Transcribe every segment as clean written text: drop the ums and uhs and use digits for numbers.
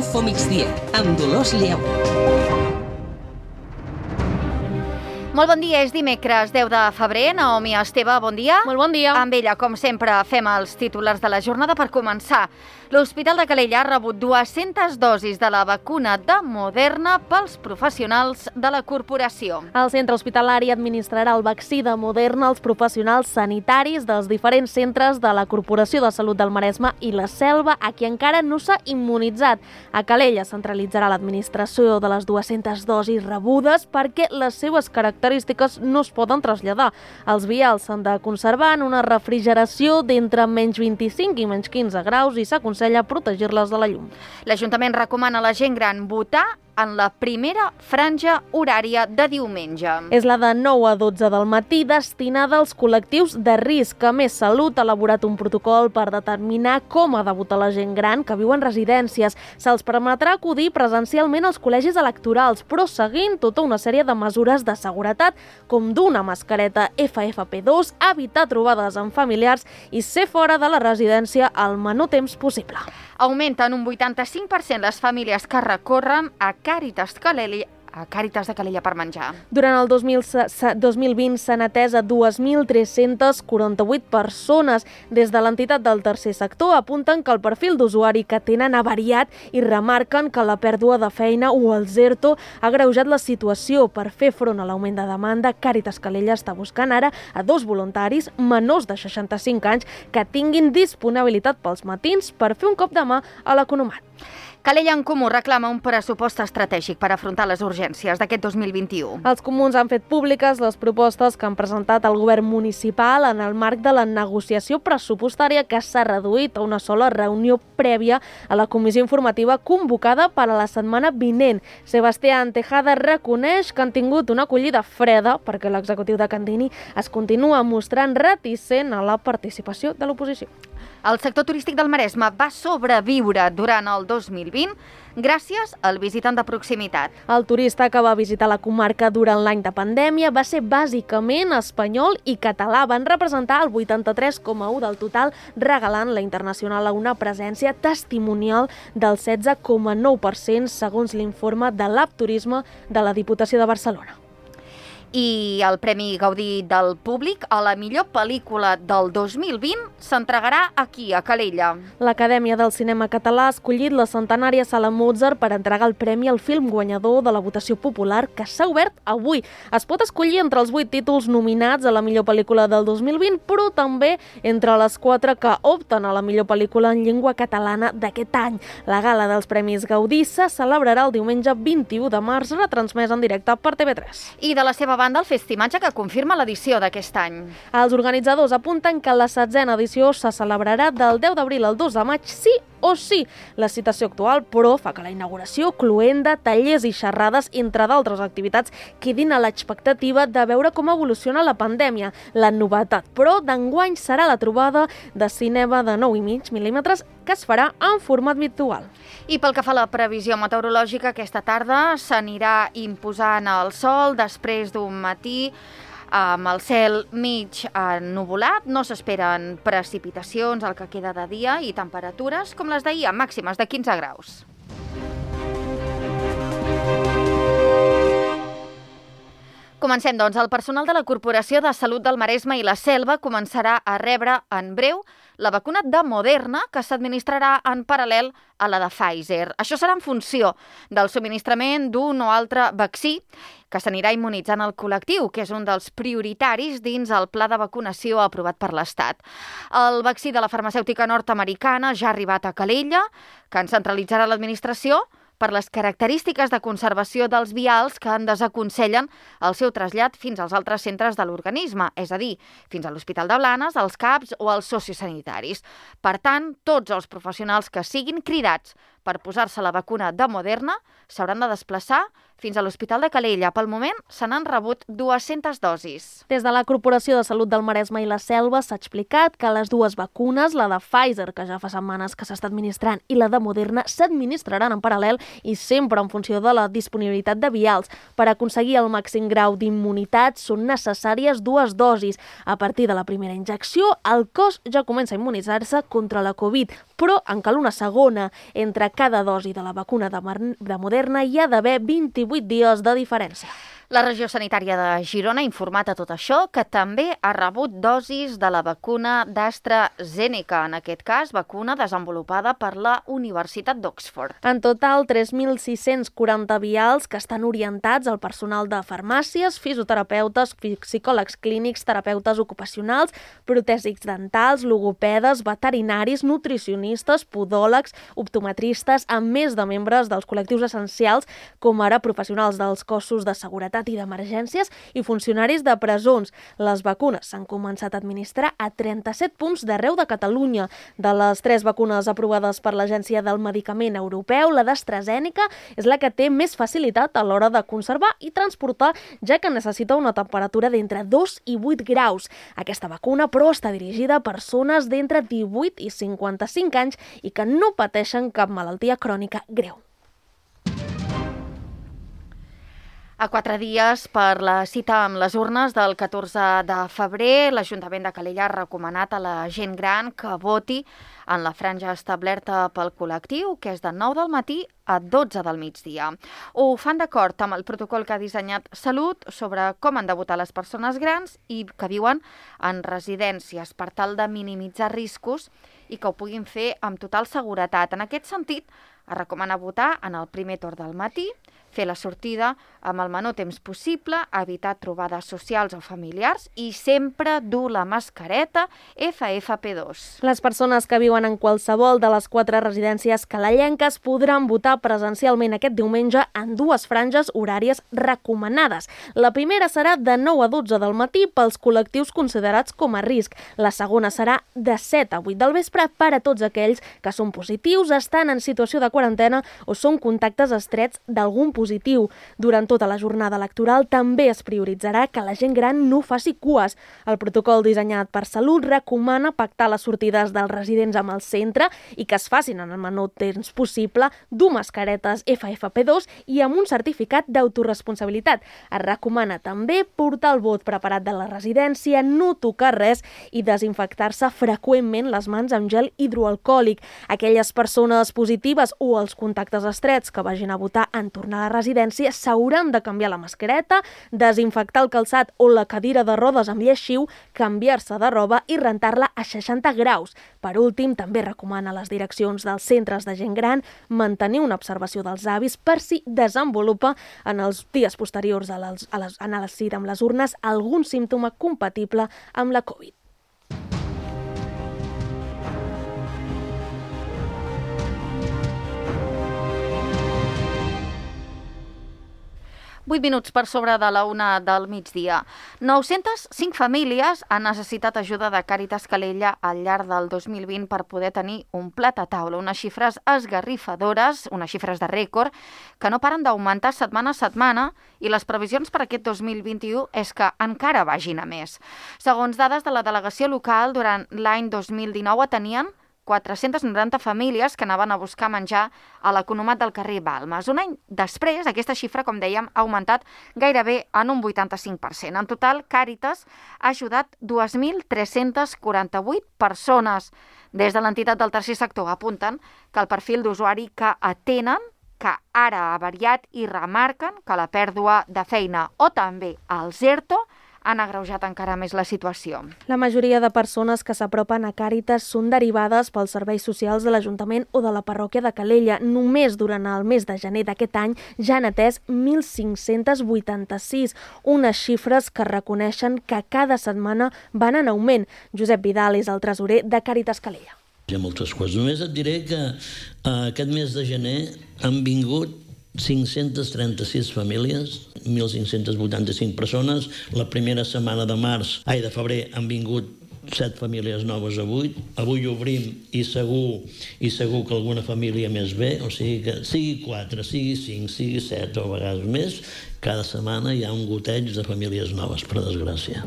Info Migdia, amb Dolors Lleu. Molt bon dia, és dimecres 10 de febrer. Naomi Esteve, bon dia. Molt bon dia. Amb ella, com sempre, fem els titulars de la jornada. Per començar, l'Hospital de Calella ha rebut 200 dosis de la vacuna de Moderna pels professionals de la corporació. El centre hospitalari administrarà el vaccí de Moderna als professionals sanitaris dels diferents centres de la Corporació de Salut del Maresme i la Selva, a qui encara no s'ha immunitzat. A Calella centralitzarà l'administració de les 200 dosis rebudes perquè les seves característiques no es poden traslladar. Els vials s'han de conservar en una refrigeració d'entre menys 25 i menys 15 graus i s'aconsella protegir-les de la llum. L'Ajuntament recomana a la gent gran votar en la primera franja horària de diumenge. És la de 9 a 12 del matí, destinada als col·lectius de risc. A Més Salut ha elaborat un protocol per determinar com ha de votar la gent gran que viu en residències. Se'ls permetrà acudir presencialment als col·legis electorals, però seguint tota una sèrie de mesures de seguretat, com dur una mascareta FFP2, evitar trobades amb familiars i ser fora de la residència el menor temps possible. Augmenten un 85% les famílies que recorren a Càritas de Calella per menjar. Durant el 2020 s'han atès a 2.348 persones. Des de l'entitat del tercer sector apunten que el perfil d'usuari que tenen ha variat i remarquen que la pèrdua de feina o el ERTO ha agreujat la situació. Per fer front a l'augment de demanda, Càritas Calella està buscant ara a 2 voluntaris menors de 65 anys que tinguin disponibilitat pels matins per fer un cop de mà a l'economat. Calella en Comú reclama un pressupost estratègic per afrontar les urgències d'aquest 2021. Els comuns han fet públiques les propostes que han presentat al govern municipal en el marc de la negociació pressupostària que s'ha reduït a una sola reunió prèvia a la comissió informativa convocada per a la setmana vinent. Sebastián Tejada reconeix que han tingut una acollida freda perquè l'executiu de Candini es continua mostrant reticent a la participació de l'oposició. El sector turístic del Maresme va sobreviure durant el 2020 gràcies al visitant de proximitat. El turista que va visitar la comarca durant l'any de pandèmia va ser bàsicament espanyol i català. Van representar el 83,1% del total, regalant la internacional a una presència testimonial del 16,9% segons l'informe de l'App Turisme de la Diputació de Barcelona. I el Premi Gaudí del Públic a la millor pel·lícula del 2020 s'entregarà aquí, a Calella. L'Acadèmia del Cinema Català ha escollit la centenària Sala Mozart per entregar el premi al film guanyador de la votació popular que s'ha obert avui. Es pot escollir entre els 8 títols nominats a la millor pel·lícula del 2020, però també entre les 4 que opten a la millor pel·lícula en llengua catalana d'aquest any. La gala dels Premis Gaudí se celebrarà el diumenge 21 de març, retransmès en directe per TV3. I de la seva banda, el Festimatge, que confirma l'edició d'aquest any. Els organitzadors apunten que la 16a edició se celebrarà del 10 d'abril al 2 de maig, sí o sí. La citació actual, però, fa que la inauguració, cloenda, tallers i xerrades, entre d'altres activitats, quedin a l'expectativa de veure com evoluciona la pandèmia. La novetat, però, d'enguany serà la trobada de cinema de 9,5 mil·límetres que es farà en format virtual. I pel que fa a la previsió meteorològica, aquesta tarda s'anirà imposant el sol després d'un matí amb el cel mig ennuvolat. No s'esperen precipitacions al que queda de dia i temperatures com les d'ahir, màximes de 15 graus. Comencem, doncs. El personal de la Corporació de Salut del Maresme i la Selva començarà a rebre en breu la vacuna de Moderna, que s'administrarà en paral·lel a la de Pfizer. Això serà en funció del subministrament d'un o altre vaccí que s'anirà immunitzant el col·lectiu, que és un dels prioritaris dins el pla de vacunació aprovat per l'Estat. El vaccí de la farmacèutica nord-americana ja ha arribat a Calella, que en centralitzarà l'administració per les característiques de conservació dels vials que en desaconsellen el seu trasllat fins als altres centres de l'organisme, és a dir, fins a l'Hospital de Blanes, als CAPs o als sociosanitaris. Per tant, tots els professionals que siguin cridats per posar-se la vacuna de Moderna s'hauran de desplaçar fins a l'Hospital de Calella. Pel moment se n'han rebut 200 dosis. Des de la Corporació de Salut del Maresme i la Selva s'ha explicat que les dues vacunes, la de Pfizer, que ja fa setmanes que s'està administrant, i la de Moderna, s'administraran en paral·lel i sempre en funció de la disponibilitat de vials. Per aconseguir el màxim grau d'immunitat són necessàries 2 dosis. A partir de la primera injecció, el cos ja comença a immunitzar-se contra la Covid, però en cal una segona. Entre cada dosi de la vacuna de Moderna hi ha d'haver 28 dies de diferència. La regió sanitària de Girona ha informat a tot això que també ha rebut dosis de la vacuna d'AstraZeneca, en aquest cas vacuna desenvolupada per la Universitat d'Oxford. En total, 3.640 vials que estan orientats al personal de farmàcies, fisioterapeutes, psicòlegs clínics, terapeutes ocupacionals, protèsics dentals, logopedes, veterinaris, nutricionistes, podòlegs, optometristes, a més de membres dels col·lectius essencials, com ara professionals dels cossos de seguretat i d'emergències i funcionaris de presons. Les vacunes s'han començat a administrar a 37 punts d'arreu de Catalunya. De les 3 vacunes aprovades per l'Agència del Medicament Europeu, la d'AstraZeneca és la que té més facilitat a l'hora de conservar i transportar, ja que necessita una temperatura d'entre 2 i 8 graus. Aquesta vacuna, però, està dirigida a persones d'entre 18 i 55 anys i que no pateixen cap malaltia crònica greu. A 4 dies per la cita amb les urnes del 14 de febrer, l'Ajuntament de Calella ha recomanat a la gent gran que voti en la franja establerta pel col·lectiu, que és de 9 del matí a 12 del migdia. Ho fan d'acord amb el protocol que ha dissenyat Salut sobre com han de votar les persones grans i que viuen en residències per tal de minimitzar riscos i que ho puguin fer amb total seguretat. En aquest sentit, es recomana votar en el primer torn del matí, fer la sortida amb el menor temps possible, evitar trobades socials o familiars i sempre dur la mascareta FFP2. Les persones que viuen en qualsevol de les 4 residències calellenques podran votar presencialment aquest diumenge en 2 franges horàries recomanades. La primera serà de 9 a 12 del matí pels col·lectius considerats com a risc. La segona serà de 7 a 8 del vespre per a tots aquells que són positius, estan en situació de quarantena o són contactes estrets d'algun positiu. Durant tota la jornada electoral també es prioritzarà que la gent gran no faci cues. El protocol dissenyat per Salut recomana pactar les sortides dels residents amb el centre i que es facin en el menor temps possible, dur mascaretes FFP2 i amb un certificat d'autoresponsabilitat. Es recomana també portar el vot preparat de la residència, no tocar res i desinfectar-se freqüentment les mans amb gel hidroalcohòlic. Aquelles persones positives o els contactes estrets que vagin a votar en tornar a la residència s'hauran de canviar la mascareta, desinfectar el calçat o la cadira de rodes amb lleixiu, canviar-se de roba i rentar-la a 60 graus. Per últim, també recomana a les direccions dels centres de gent gran mantenir una observació dels avis per si desenvolupa en els dies posteriors a la cita amb les urnes algun símptoma compatible amb la Covid. 8 minuts per sobre de la 1 del migdia. 905 famílies han necessitat ajuda de Càritas Calella al llarg del 2020 per poder tenir un plat a taula. Unes xifres esgarrifadores, unes xifres de rècord, que no paren d'augmentar setmana a setmana i les previsions per aquest 2021 és que encara vagin a més. Segons dades de la delegació local, durant l'any 2019 tenien 490 famílies que anaven a buscar menjar a l'economat del carrer Balmes. Un any després, aquesta xifra, com dèiem, ha augmentat gairebé en un 85%. En total, Càritas ha ajudat 2.348 persones. Des de l'entitat del tercer sector apunten que el perfil d'usuari que atenen, que ara ha variat i remarquen que la pèrdua de feina o també els ERTO han agreujat encara més la situació. La majoria de persones que s'apropen a Càritas són derivades pels serveis socials de l'Ajuntament o de la parròquia de Calella. Només durant el mes de gener d'aquest any ja han atès 1.586, unes xifres que reconeixen que cada setmana van en augment. Josep Vidal és el tresorer de Càritas Calella. Hi ha moltes coses. Només et diré que aquest mes de gener han vingut 536 famílies, 1.585 persones. La primera setmana de febrer han vingut 7 famílies noves avui. Avui obrim i segur que alguna família més ve, o sigui que sigui 4, sigui 5, sigui 7 o a vegades més, cada setmana hi ha un goteig de famílies noves, per desgràcia.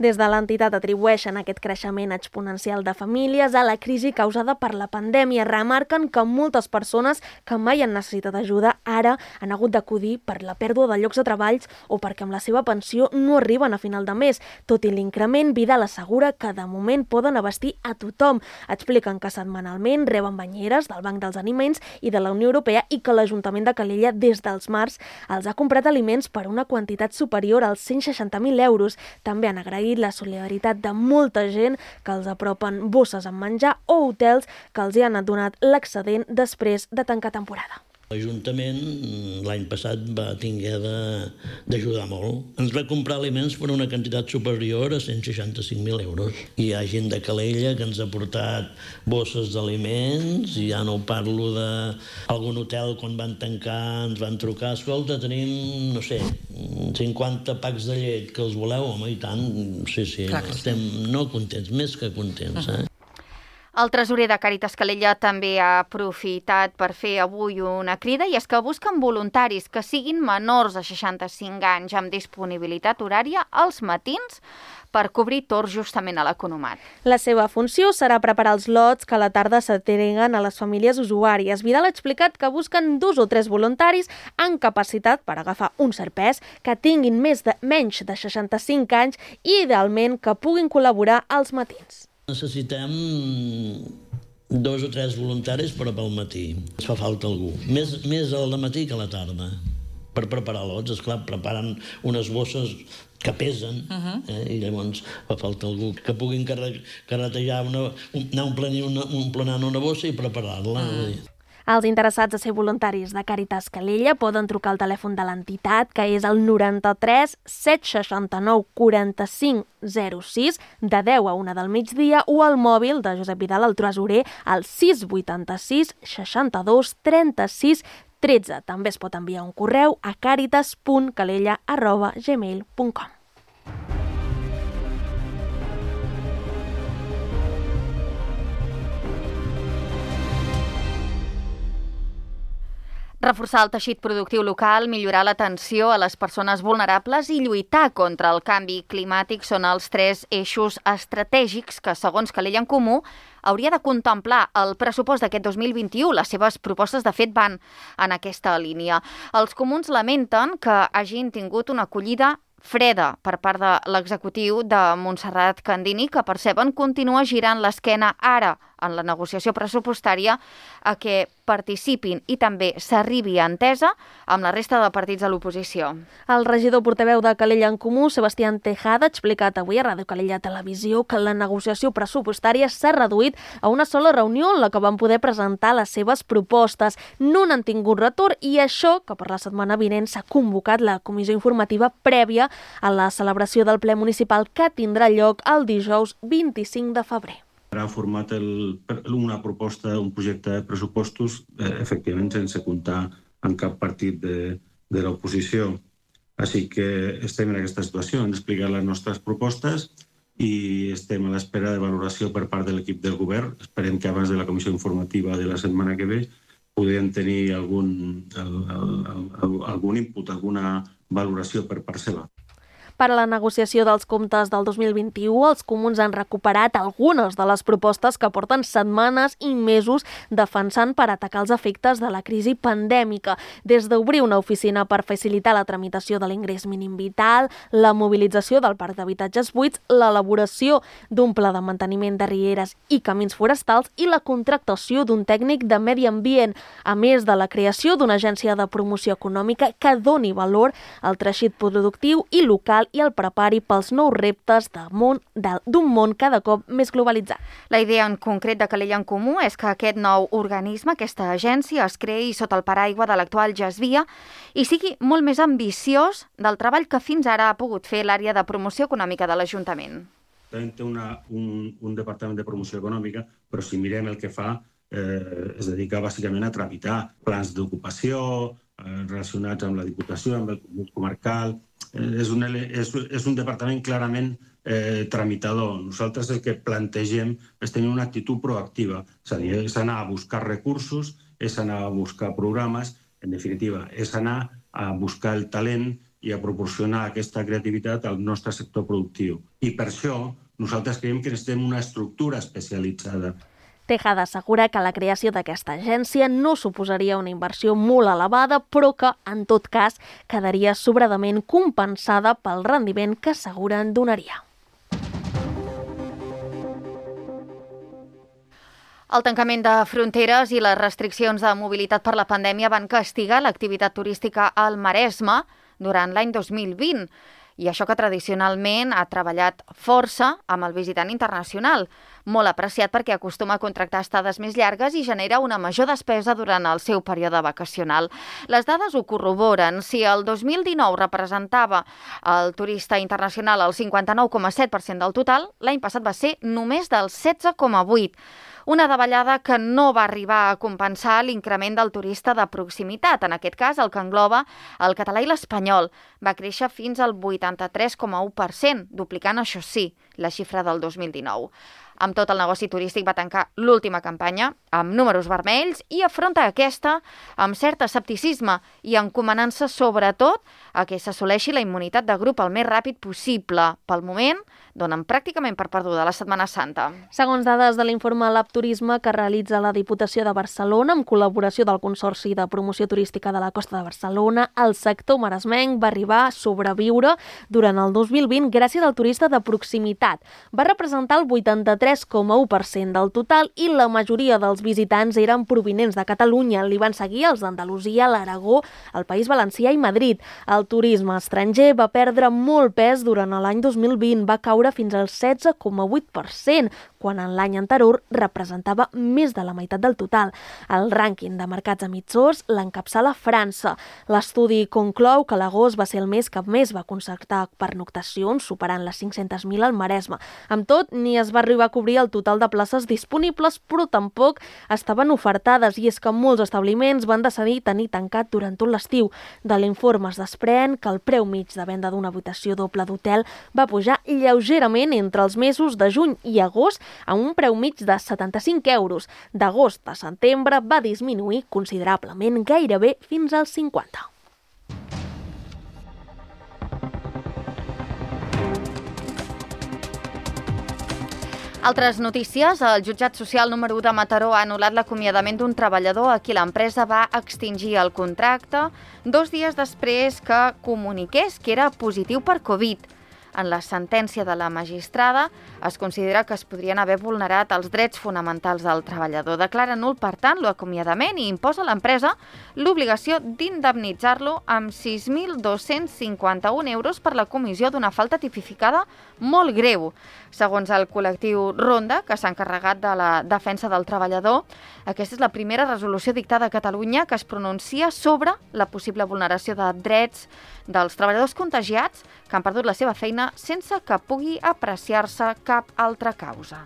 Des de l'entitat atribueixen aquest creixement exponencial de famílies a la crisi causada per la pandèmia. Remarquen que moltes persones que mai han necessitat ajuda ara han hagut d'acudir per la pèrdua de llocs de treballs o perquè amb la seva pensió no arriben a final de mes. Tot i l'increment, Vidal assegura que de moment poden abastir a tothom. Expliquen que setmanalment reben banyeres del Banc dels Aliments i de la Unió Europea i que l'Ajuntament de Calella des dels març els ha comprat aliments per una quantitat superior als 160.000 euros. També han agraït la solidaritat de molta gent que els apropen bosses amb menjar o hotels que els hi han donat l'excedent després de tancar temporada. L'Ajuntament l'any passat va tinguer d'ajudar molt. Ens va comprar aliments per una quantitat superior a 165.000 euros. I hi ha gent de Calella que ens ha portat bosses d'aliments, i ja no parlo d'algun hotel quan van tancar, ens van trucar, escolta, tenim, no sé, 50 packs de llet, que els voleu? Home, i tant, sí, estem no contents, més que contents, El tresorer de Càritas Calella també ha aprofitat per fer avui una crida, i és que busquen voluntaris que siguin menors de 65 anys amb disponibilitat horària als matins per cobrir torns justament a l'Economat. La seva funció serà preparar els lots que a la tarda s'entreguen a les famílies usuàries. Vidal ha explicat que busquen 2 o 3 voluntaris amb capacitat per agafar un cert pes, que tinguin menys de 65 anys i, idealment, que puguin col·laborar als matins. Necessitem 2 o 3 voluntaris, però pel matí. Ens fa falta algú. Més al matí que a la tarda. Per preparar lots, esclar, preparen unes bosses que pesen, i llavors fa falta algú que puguin carretejar, anar omplenant una bossa i preparar-la. Els interessats a ser voluntaris de Càritas Calella poden trucar al telèfon de l'entitat, que és el 93 769 45 06, de 10 a 1 del migdia, o al mòbil de Josep Vidal, el tresorer, al 686 62 36 13. També es pot enviar un correu a caritas.calella@gmail.com. Reforçar el teixit productiu local, millorar l'atenció a les persones vulnerables i lluitar contra el canvi climàtic són els 3 eixos estratègics que, segons Calella en Comú, hauria de contemplar el pressupost d'aquest 2021. Les seves propostes, de fet, van en aquesta línia. Els comuns lamenten que hagin tingut una acollida freda per part de l'executiu de Montserrat Candini, que perceben continua girant l'esquena ara en la negociació pressupostària a que participin i també s'arribi a entesa amb la resta de partits de l'oposició. El regidor portaveu de Calella en Comú, Sebastián Tejada, ha explicat avui a Ràdio Calella Televisió que la negociació pressupostària s'ha reduït a una sola reunió en la que van poder presentar les seves propostes. No n'han tingut retorn, i això que per la setmana vinent s'ha convocat la comissió informativa prèvia a la celebració del ple municipal que tindrà lloc el dijous 25 de febrer. Ha format una proposta, un projecte de pressupostos, efectivament sense comptar amb cap partit de l'oposició. Així que estem en aquesta situació, hem d'explicar les nostres propostes i estem a l'espera de valoració per part de l'equip del govern. Esperem que abans de la comissió informativa de la setmana que ve podem tenir algun input, alguna valoració per part seva. Per a la negociació dels comptes del 2021, els comuns han recuperat algunes de les propostes que porten setmanes i mesos defensant per atacar els efectes de la crisi pandèmica, des d'obrir una oficina per facilitar la tramitació de l'ingrés mínim vital, la mobilització del parc d'habitatges buits, l'elaboració d'un pla de manteniment de rieres i camins forestals i la contractació d'un tècnic de medi ambient, a més de la creació d'una agència de promoció econòmica que doni valor al teixit productiu i local i el prepari pels nous reptes d'un món cada cop més globalitzat. La idea en concret de Calella en Comú és que aquest nou organisme, aquesta agència, es creï sota el paraigua de l'actual GESVIA i sigui molt més ambiciós del treball que fins ara ha pogut fer l'àrea de promoció econòmica de l'Ajuntament. Té un departament de promoció econòmica, però si mirem el que fa, es dedica bàsicament a tramitar plans d'ocupació relacionats amb la Diputació, amb el Consell Comarcal. És un departament clarament tramitador. Nosaltres el que plantegem és tenir una actitud proactiva, és a dir, és anar a buscar recursos, és anar a buscar programes, en definitiva, és anar a buscar el talent i a proporcionar aquesta creativitat al nostre sector productiu. I per això nosaltres creiem que necessitem una estructura especialitzada. Tejada assegura que la creació d'aquesta agència no suposaria una inversió molt elevada, però que, en tot cas, quedaria sobradament compensada pel rendiment que asseguren donaria. El tancament de fronteres i les restriccions de mobilitat per la pandèmia van castigar l'activitat turística al Maresme durant l'any 2020, i això que tradicionalment ha treballat força amb el visitant internacional, molt apreciat perquè acostuma a contractar estades més llargues i genera una major despesa durant el seu període vacacional. Les dades ho corroboren. Si el 2019 representava el turista internacional el 59,7% del total, l'any passat va ser només del 16,8%. Una davallada que no va arribar a compensar l'increment del turista de proximitat. En aquest cas, el que engloba el català i l'espanyol. Va créixer fins al 83,1%, duplicant, això sí, la xifra del 2019. Amb tot, el negoci turístic va tancar l'última campanya amb números vermells i afronta aquesta amb cert escepticisme i encomanant-se sobretot a que s'assoleixi la immunitat de grup el més ràpid possible. Pel moment, donen pràcticament per perduda la Setmana Santa. Segons dades de l'informe Lab Turisme que realitza la Diputació de Barcelona amb col·laboració del Consorci de Promoció Turística de la Costa de Barcelona, el sector maresmenc va arribar a sobreviure durant el 2020 gràcies al turista de proximitat. Va representar el 83,1% del total i la majoria dels visitants eren provinents de Catalunya. Li van seguir els d'Andalusia, l'Aragó, el País Valencià i Madrid. El turisme estranger va perdre molt pes durant l'any 2020, va caure fins al 16,8%, quan en l'any anterior representava més de la meitat del total. El rànquing de mercats emissors l'encapçala França. L'estudi conclou que l'agost va ser el mes que més va concertar pernoctacions, superant les 500.000 al Maresme. Amb tot, ni es va arribar a cobrir el total de places disponibles, però tampoc estaven ofertades, i és que molts establiments van decidir tenir tancat durant tot l'estiu. De l'informe es desprèn que el preu mig de venda d'una habitació doble d'hotel va pujar lleugerament entre els mesos de juny i agost a un preu mig de 75 euros. D'agost a setembre va disminuir considerablement, gairebé fins als 50. Altres notícies. El jutjat social número 1 de Mataró ha anul·lat l'acomiadament d'un treballador a qui l'empresa va extingir el contracte 2 dies després que comuniqués que era positiu per Covid. En la sentència de la magistrada es considera que es podrien haver vulnerat els drets fonamentals del treballador. Declara nul, per tant, l'acomiadament i imposa a l'empresa l'obligació d'indemnitzar-lo amb 6.251 euros per la comissió d'una falta tipificada molt greu. Segons el col·lectiu Ronda, que s'ha encarregat de la defensa del treballador, aquesta és la primera resolució dictada a Catalunya que es pronuncia sobre la possible vulneració de drets dels treballadors contagiats que han perdut la seva feina sense que pugui apreciar-se cap altra causa.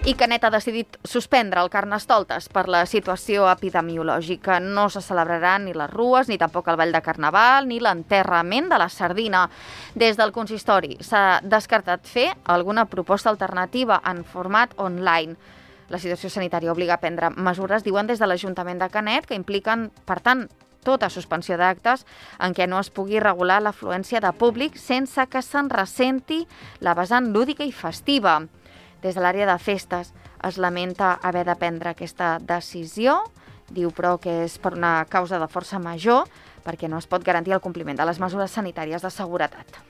I Canet ha decidit suspendre el Carnestoltes per la situació epidemiològica. No se celebraran ni les rues, ni tampoc el ball de Carnaval, ni l'enterrament de la sardina. Des del consistori s'ha descartat fer alguna proposta alternativa en format online. La situació sanitària obliga a prendre mesures, diuen des de l'Ajuntament de Canet, que impliquen, per tant, tota suspensió d'actes en què no es pugui regular l'afluència de públic sense que se'n ressenti la vessant lúdica i festiva. Des de l'àrea de festes es lamenta haver de prendre aquesta decisió, diu però que és per una causa de força major perquè no es pot garantir el compliment de les mesures sanitàries de seguretat.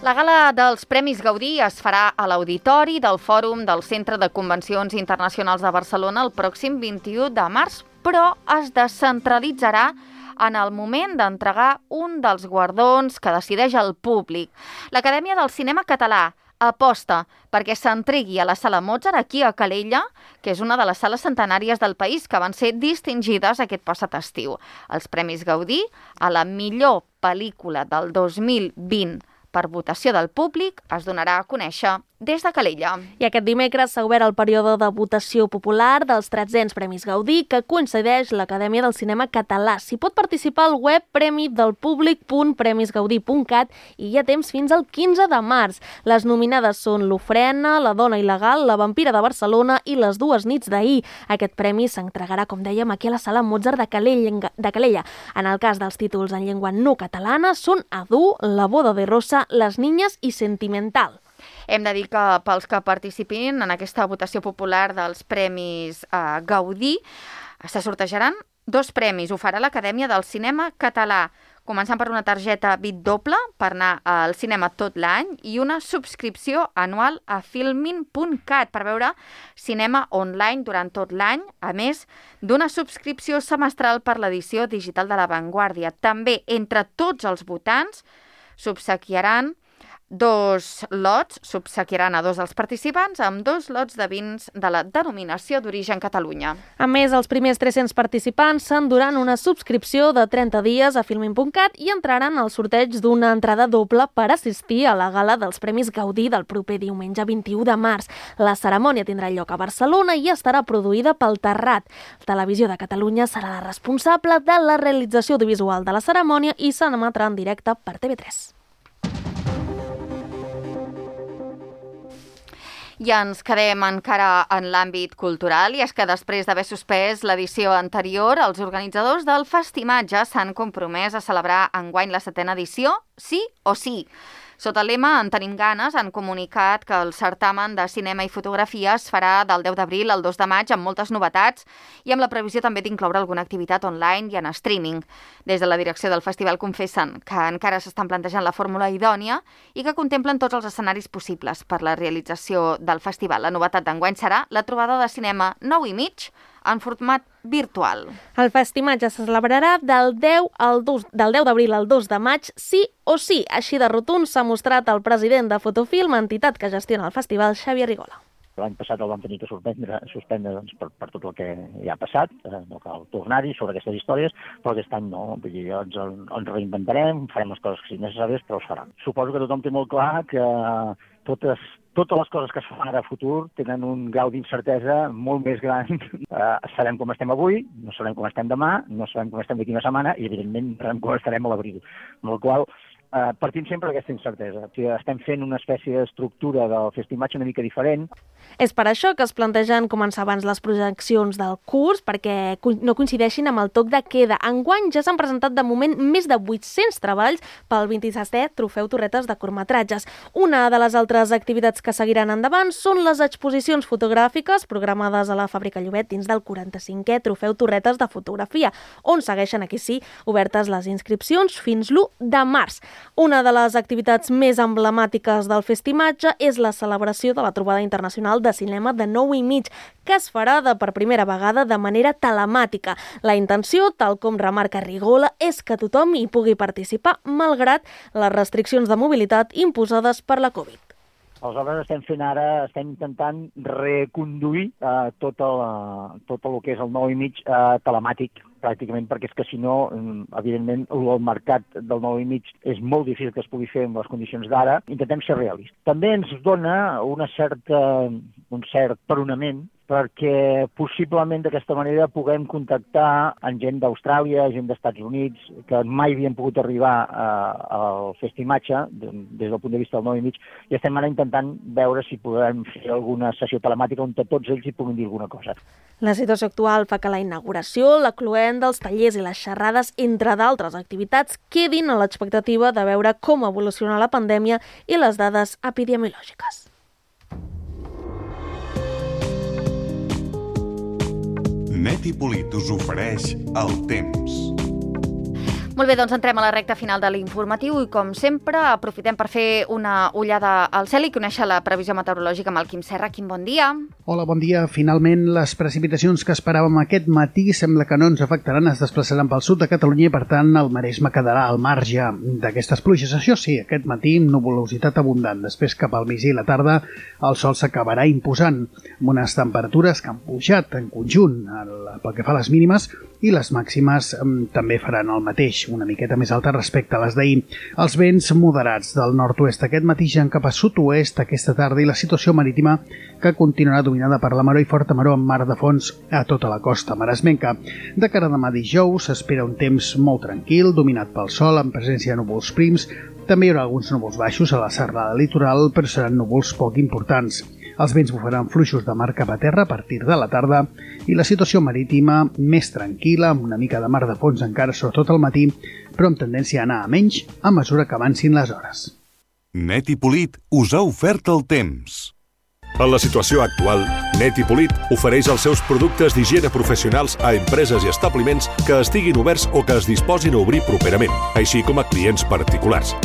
La gala dels Premis Gaudí es farà a l'auditori del Fòrum del Centre de Convencions Internacionals de Barcelona el pròxim 21 de març, però es descentralitzarà en el moment d'entregar un dels guardons que decideix el públic. L'Acadèmia del Cinema Català aposta perquè s'entregui a la Sala Mozart aquí a Calella, que és una de les sales centenàries del país que van ser distingides aquest passat estiu. Els Premis Gaudí a la millor pel·lícula del 2020 per votació del públic es donarà a conèixer des de Calella. I aquest dimecres s'ha obert el període de votació popular dels 300 Premis Gaudí, que coincideix l'Acadèmia del Cinema Català. S'hi pot participar al web premidelpublic.premisgaudí.cat i hi ha temps fins al 15 de març. Les nominades són L'Ofrena, La dona il·legal, La vampira de Barcelona i Les dues nits d'ahir. Aquest premi s'entregarà, com dèiem, aquí a la Sala Mozart de Calella. En el cas dels títols en llengua no catalana són Adu, La boda de Rosa, Les niñas i Sentimental. Hem de dir que pels que participin en aquesta votació popular dels Premis Gaudí se sortejaran 2 premis. Ho farà l'Acadèmia del Cinema Català, començant per una targeta bit doble per anar al cinema tot l'any i una subscripció anual a filmin.cat per veure cinema online durant tot l'any, a més d'una subscripció semestral per l'edició digital de La Vanguardia. També, entre tots els votants, s'obsequiaran 2 lots, s'obsequiaran a 2 dels participants amb 2 lots de vins de la denominació d'origen Catalunya. A més, els primers 300 participants s'enduran una subscripció de 30 dies a filmin.cat i entraran al sorteig d'una entrada doble per assistir a la gala dels Premis Gaudí del proper diumenge 21 de març. La cerimònia tindrà lloc a Barcelona i estarà produïda pel Terrat. Televisió de Catalunya serà la responsable de la realització audiovisual de la cerimònia i s'emetrà en directe per TV3. I ens quedem encara en l'àmbit cultural, i és que després d'haver suspès l'edició anterior, els organitzadors del Festimatge s'han compromès a celebrar enguany la 7a edició, sí o sí. Sota el lema En tenim ganes, han comunicat que el certamen de cinema i fotografia es farà del 10 d'abril al 2 de maig amb moltes novetats i amb la previsió també d'incloure alguna activitat online i en streaming. Des de la direcció del festival confessen que encara s'estan plantejant la fórmula idònia i que contemplen tots els escenaris possibles per la realització del festival. La novetat d'enguany serà la trobada de cinema 9:30 en format virtual. El Festimatge se celebrarà del 10 d'abril al 2 de maig, sí o sí. Així de rotund s'ha mostrat el president de Fotofilm, entitat que gestiona el festival, Xavier Rigola. L'any passat el vam tenir que suspendre doncs, per tot el que ja ha passat, no cal tornar-hi sobre aquestes històries, però aquest any no, vull dir, ens reinventarem, farem les coses que siguin necessàries, però es farà. Suposo que tothom té molt clar que totes les coses que es fan ara a futur tenen un grau d'incertesa molt més gran. Sabem com estem avui, no sabem com estem demà, no sabem com estem d'aquí una setmana i, evidentment, no sabem com estarem a l'abril. Amb la qual partim sempre d'aquesta incertesa. Estem fent una espècie d'estructura del Festimatge una mica diferent. És per això que es plantegen començar abans les projeccions del curs, perquè no coincideixin amb el toc de queda. Enguany ja s'han presentat de moment més de 800 treballs pel 27è Trofeu Torretes de curtmetratges. Una de les altres activitats que seguiran endavant són les exposicions fotogràfiques programades a la Fàbrica Llobet dins del 45è Trofeu Torretes de fotografia, on segueixen, aquí sí, obertes les inscripcions fins l'1 de març. Una de les activitats més emblemàtiques del Festimatge és la celebració de la trobada internacional de cinema de 9:30, que es farà per primera vegada de manera telemàtica. La intenció, tal com remarca Rigola, és que tothom hi pugui participar, malgrat les restriccions de mobilitat imposades per la Covid. Aleshores estem intentant reconduir tot el que és el 9:30 telemàtic, pràcticament, perquè és que si no, evidentment, el mercat del 9:30 és molt difícil que es pugui fer amb les condicions d'ara. Intentem ser realistes. També ens dona un cert peronament perquè possiblement d'aquesta manera puguem contactar amb gent d'Austràlia, gent d'Estats Units, que mai havien pogut arribar al Festimatge des del punt de vista del 9:30, i estem ara intentant veure si podem fer alguna sessió telemàtica on tots ells hi puguin dir alguna cosa. La situació actual fa que la inauguració, la cloent dels tallers i les xerrades, entre d'altres activitats, quedin a l'expectativa de veure com evoluciona la pandèmia i les dades epidemiològiques. Net i Polit us ofereix el temps. Molt bé, doncs entrem a la recta final de l'informatiu i, com sempre, aprofitem per fer una ullada al cel i conèixer la previsió meteorològica amb el Quim Serra. Quim, bon dia. Hola, bon dia. Finalment, les precipitacions que esperàvem aquest matí sembla que no ens afectaran, es desplaçaran pel sud de Catalunya i, per tant, el Maresme quedarà al marge d'aquestes pluges. Això sí, aquest matí, nuvolositat abundant. Després, cap al migdia i la tarda, el sol s'acabarà imposant, amb unes temperatures que han pujat en conjunt pel que fa a les mínimes i les màximes també faran el mateix, una miqueta més alta respecte a les d'ahir. Els vents moderats del nord-oest aquest matí ja cap a sud-oest aquesta tarda i la situació marítima que continuarà dominada per la maror i forta maror amb mar de fons a tota la costa maresmenca. De cara a demà dijous s'espera un temps molt tranquil, dominat pel sol, amb presència de núvols prims. També hi haurà alguns núvols baixos a la serralada litoral, però seran núvols poc importants. Els vents bufaran fluixos de mar cap a terra a partir de la tarda i la situació marítima més tranquil·la, amb una mica de mar de fons encara sobretot al matí, però amb tendència a anar a menys a mesura que avancin les hores. Net i Polit us ha ofert el temps. En la situació actual, Net i Polit ofereix els seus productes d'higiene professionals a empreses i establiments que estiguin oberts o que es disposin a obrir properament, així com a clients particulars.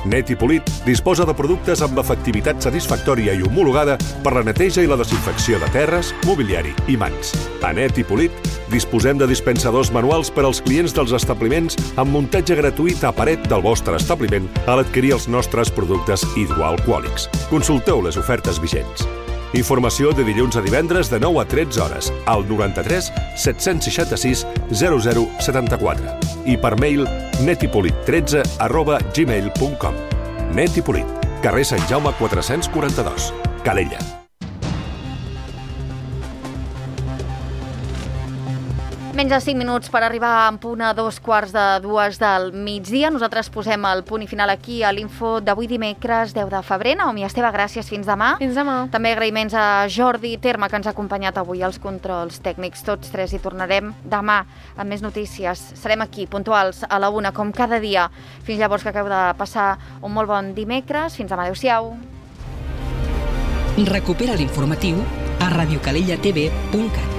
Net i Polit disposa de productes amb efectivitat satisfactòria i homologada per la neteja i la desinfecció de terres, mobiliari i mans. A Net i Polit disposem de dispensadors manuals per als clients dels establiments amb muntatge gratuït a paret del vostre establiment a l'adquirir els nostres productes hidroalcohòlics. Consulteu les ofertes vigents. Informació de dilluns a divendres de 9 a 13 hores al 93 766 0074 i per mail netipolit13@gmail.com. Net i Polit, carrer Sant Jaume 442, Calella. Menys de 5 minuts per arribar en punt a 2:45 del migdia. Nosaltres posem el punt i final aquí a l'info d'avui dimecres 10 de febrer. Naomi Esteve, gràcies. Fins demà. Fins demà. També agraïments a Jordi Terme, que ens ha acompanyat avui als controls tècnics. Tots tres hi tornarem demà amb més notícies. Serem aquí, puntuals, a la 1, com cada dia. Fins llavors, que acabeu de passar un molt bon dimecres. Fins demà. Adéu-siau. Recupera l'informatiu a radiocalellatv.cat.